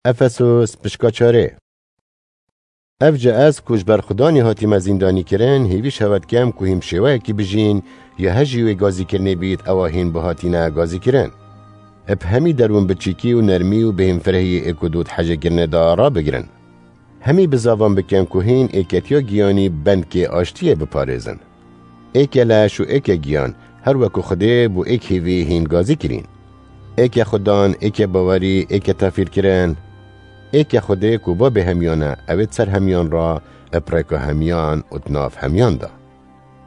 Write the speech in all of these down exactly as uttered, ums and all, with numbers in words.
Efesos, pişka çarê. Ev ji ez ku ji ber Xudanî hatîme zîndanî kirin, hêvî şewet kem ku hîm şêweyekî bijîn, ya he jî wê gazîkirinê bît, ewa hîn bihatîne gazîkirin. Bi hemî derûn biçîkî û nermî û bêhînfirehiyê êk û du di hejêkirinê de rabigirin. Hemî bi zavan bikin ku hîn êketiya giyanî bendkê aştiyê biparêzin. Êke leş û êke giyan, her weku Xwedê bû êk hêvî hîn gazî kirîn. Êke xudan, êke bawerî, êke tafîrkirin. Êke Xwedê ku babê hemiyan e, ew ê di ser hemiyan re, bi rêka hemiyan û di nav hemiyan de.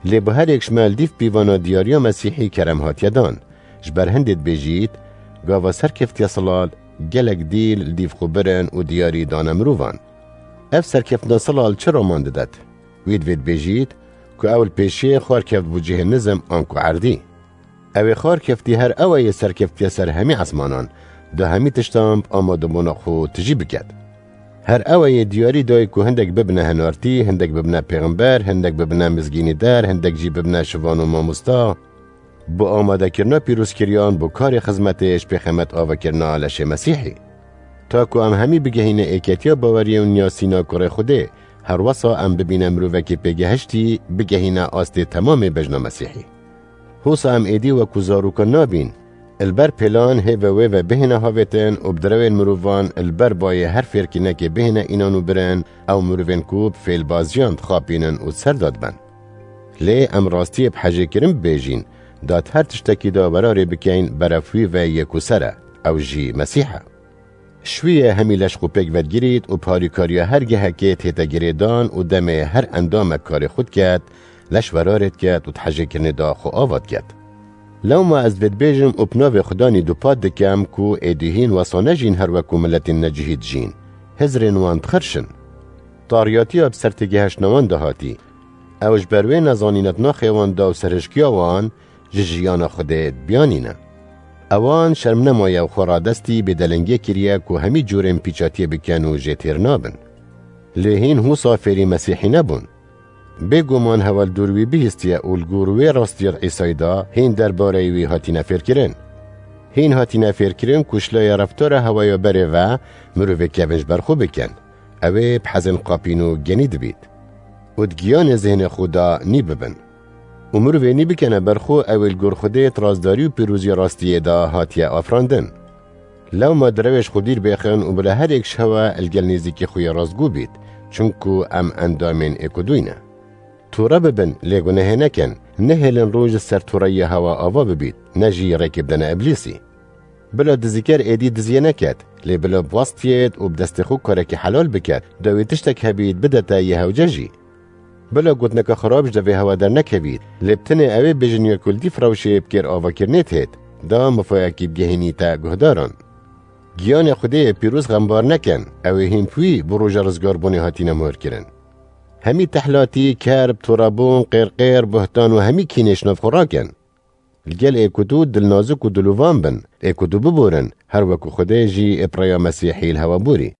Lê bi her êk ji me li dîv pîvana diyariya Mesîhî kerem hatiye dan. Ji ber hindê dibêjît, gava serkeftiya silal, gelek dîl li dîv xwe birin û diyarî dane mirovan. Ev serkeftina silal çi raman didet? Wî divê dibêjît ku ew li pêşiyê xwar keft bû cihê nizm anku erdî. Ew ê xwar keftî her ew ê serkeftiye ser hemî esmanan, di hemî tiştan bi amadebûna xwe tijî biket. Her ew ê diyarî dayê ku hindek bibine henartî, hindek bibine pêxember, hindek bibine mizgînî der, hindek jî bibine şivan û mamosta. Bi amadekirina pîrozkiriyan bo karê xizmetê ji pêxemet avakirina leşê Mesîhî. Ta ku em hemî bigehîne êketiya baweriyê û niyasîna kurê Xwedê, her wesa em bibîne mirovekî pêgehiştî, bigehîne astê temamê bejna Mesîhî. Hosa em êdî wekû zarokan nabîn. Li ber pêlan hê ve wê ve bihêne havêtin û bi direwên mirovan li ber bayê her fêrkînekê bihêne înan û birin, ew mirovên ku bi fêlbaziyan dixapînin û ser dadibin. Lê em rastiyê bi hejêkirin bibêjîn, da di her tiştekî de werarê bikeyn berev wî ve yê ku ser e, ew jî Mesîh e. Ji wî ye hemî leş xwe pêk vedgirît û bi harîkariya her gehekê tête girêdan û demê her endamek karê xwe diket, leş werarê diket û di hejêkirinê de xwe ava diket. Lewma ez vê dibêjim û bi navê Xudanî dupat dikem ku êdî hîn wesa nejîn her weku miletên necihî dijîn. Hizrên wan dixirşin. Tariyatiya bi ser têgehiştina wan de hatî. Ew ji ber wê nezanîna di naxê wan de û serhişkiya wan ji jiyana Xwedê dibiyanîne. Ewan şerm nemaye û xwe radestî bêdelengiyê kiriye ku hemî cûrên pîçatiyê bikin û jê têr nabin. Lê hîn hûsa fêrî Mesîhî nebûn. Bêguman hewa li dûr wî bihîstiye û li gor wê rastiyê Îsayî de hîn derbareyê wî hatîne fêrkirin. Hîn hatîne fêrkirin ku ji laya reftara hewaya berê ve mirovê kevin ji ber xwe bikin. Ew ê bi hezên qapîn û genî dibît. Û di giyanê zihênê xwe de nî bibin. Û mirovê nî bikene ber xwe, ew ê li gor Xwedê di rastdarî û pîroziya rastiyê de hatiye afirandin. Lewma direwê ji xwe dîr bêxin û bila her êk ji hewe li gel nêzîkî xwe yê rastgû bît, çunku em endamên êk û dûy ne. Tûre bibin, lê gunehê nekin, nehêlin roj li ser tûreyiya hewa ava bibît, ne jî rêkê bidene Îblîsî. Bila dizîker êdî diziyê neket, lê bila bi westiyêt û bi destê xwe karekî helal biket, dawî tiştek hebît bidete yê hewce jî. Bila gotineke xirab ji devê hewa dernekevît, lê bi tenê ew ê bêjin ya ku li dîv rewşê bi kêr avakirinê têt, da mifayekî bigehînîte guhdaran. Giyanê Xwedê yê pîroz xembar nekin, ew ê hîn bi wî bo roja rizgarbûnê hatîne muhirkirin. Hemî tehlatî, kerb, torebûn, qêrqêr, buhtan û hemî kînê ji nav xwe rakin. Li gel êk û du dilnazik û dilovan bin, êk û du biborin, her weku Xwedê jî ê bi rêya Mesîhî li hewe borî.